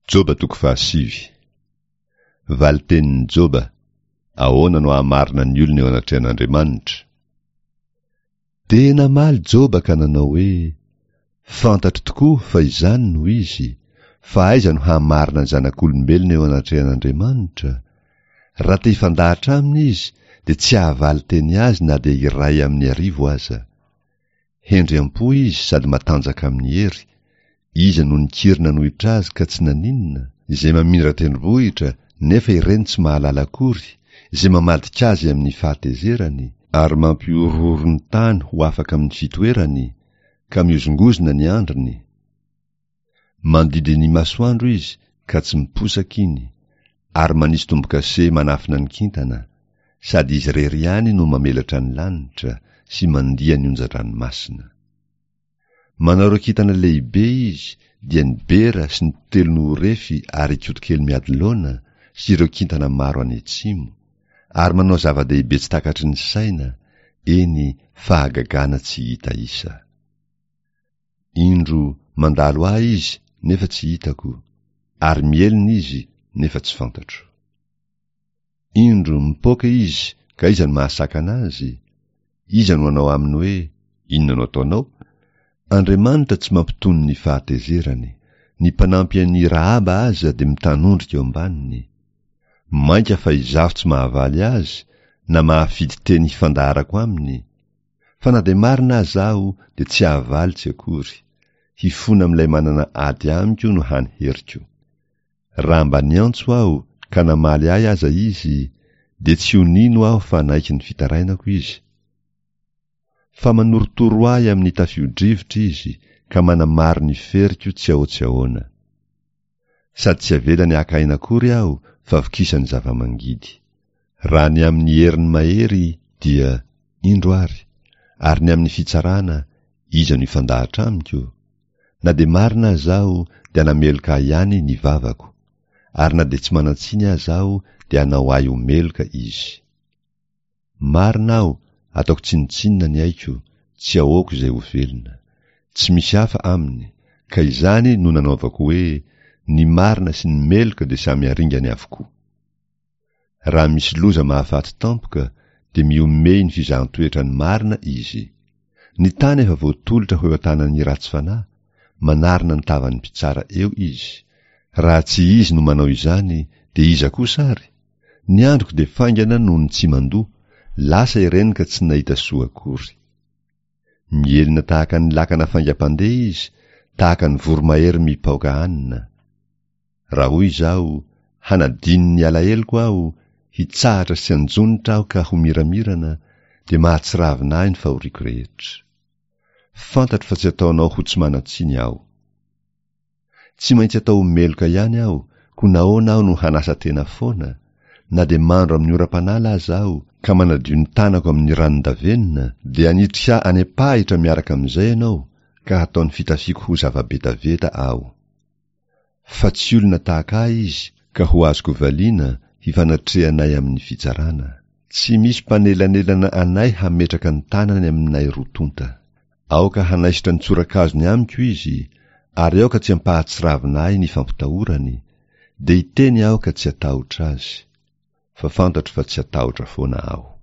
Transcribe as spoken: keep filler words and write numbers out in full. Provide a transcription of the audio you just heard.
Joba toko fahasivy. Valitenin'i Joba, Ahoana no hahamarina ny olona eo anatrehan'Andriamanitra? Dia namaly Joba ka nanao hoe, Fantatro tokoa fa izany no izy, fa aiza no hahamarina ny zanak'olombelona eo anatrehan'Andriamanitra? Raha te hifandahatra aminy izy, dia tsy hahavaly teny azy na dia iray amin'ny arivo aza. Hendry am-po izy sady matanjaka amin'ny hery, iza no nikiry nanohitra azy ka tsy naninona? Izay mamindra tendrombohitra nefa ireny tsy mahalala akory, izay mamadika azy amin'ny fahatezerany, ary mampihorohoro ny tany ho afaka amin'ny fitoerany, ka mihozongozona ny andriny. Mandidy ny masoandro izy ka tsy miposaka iny, ary manisy tombo-kase manafina ny kintana, sady izy irery ihany no mamelatra ny lanitra sy mandia ny onjan-dranomasina. Manao ireo kintana lehibe izy, dia ny Bera sy ny Telonohorefy ary Ikotokely Miadilaona sy ireo kintana maro any atsimo, ary manao zava-dehibe tsy takatry ny saina, eny, fahagagana tsy hita isa. Indro, mandalo ahy izy, nefa tsy hitako, ary mihelina izy, nefa tsy fantatro. Indro, mipoaka izy, ka iza no mahasakana azy? Iza no hanao aminy hoe, Inona no ataonao? Andriamanitra tsy mampitony ny fahatezerany. Ny mpanampy an'i Rahaba aza dia mitanondrika eo ambaniny. Mainka fa izaho tsy mahavaly azy, na mahafidy teny hifandaharako aminy. Fa na dia marina aza aho dia tsy hahavaly tsy akory. Hifona amin'ilay manana ady amiko no hany heriko. Raha mba niantso aho ka namaly ahy aza izy, dia tsy ho nino aho fa naiky ny fitarainako izy. Fa manorotoro ahy amin'ny tafio-drivotra izy ka manamaro ny feriko tsy ahoa-tsy ahoana. Sady tsy avelany haka aina akory aho fa vokisany zava-mangidy. Raha ny amin'ny heriny mahery dia, indro ary, ary ny amin'ny fitsarana, iza no hifandahatra amiko? Na dia marina aza aho dia hanameloka ahy ihany ny vavako, ary na dia tsy manan-tsiny aza aho dia hanao ahy ho meloka izy. Marina aho, ataoko tsinontsinona ny aiko, tsy ahoako izay ho velona. Tsy misy hafa aminy, ka izany no nanaovako hoe, ny marina sy ny meloka dia samy haringany avokoa. Raha misy loza mahafaty tampoka, dia mihomehy ny fizahan-toetra ny marina izy. Ny tany efa voatolotra ho eo an-tanan'ny ratsy fanahy, manarona ny tavan'ny mpitsara eo izy. Raha tsy izy no manao izany, dia iza kosa ary? Ny androko dia faingana noho ny tsy mandoa, lasa ireny ka tsy nahita soa akory. Mihelina tahaka ny lakana faingam-pandeha izy, tahaka ny voromahery mipaoka hanina. Raha hoy izaho, hanadino ny alaheloko aho, hitsahatra sy hanjonitra aho ka ho miramirana, dia mahatsiravina ahy ny fahoriako rehetra. Fantatro fa tsy ataonao ho tsy manan-tsiny aho. Tsy maintsy atao ho meloka ihany aho, koa nahoana aho no hanasa tena foana? Na dia mandro amin'ny oram-panala aza aho, ka manadio ny tanako amin'ny ranon-davenona, dia hanitrika ahy any am-pahitra miaraka amin'izay ianao, ka hataon'ny fitafiako ho zava-betaveta aho. Fa tsy olona tahaka ahy izy, ka ho azoko valiana, hifanatrehanay amin'ny fitsarana. Tsy misy mpanelanelana anay hametraka ny tanany aminay roa tonta. Aoka hanaisotra ny tsorakazony amiko izy, ary aoka tsy hampahatsiravina ahy ny fampitahorany, dia hiteny aho ka tsy hatahotra azy. Fa fantatro fa tsy hatahotra foana aho.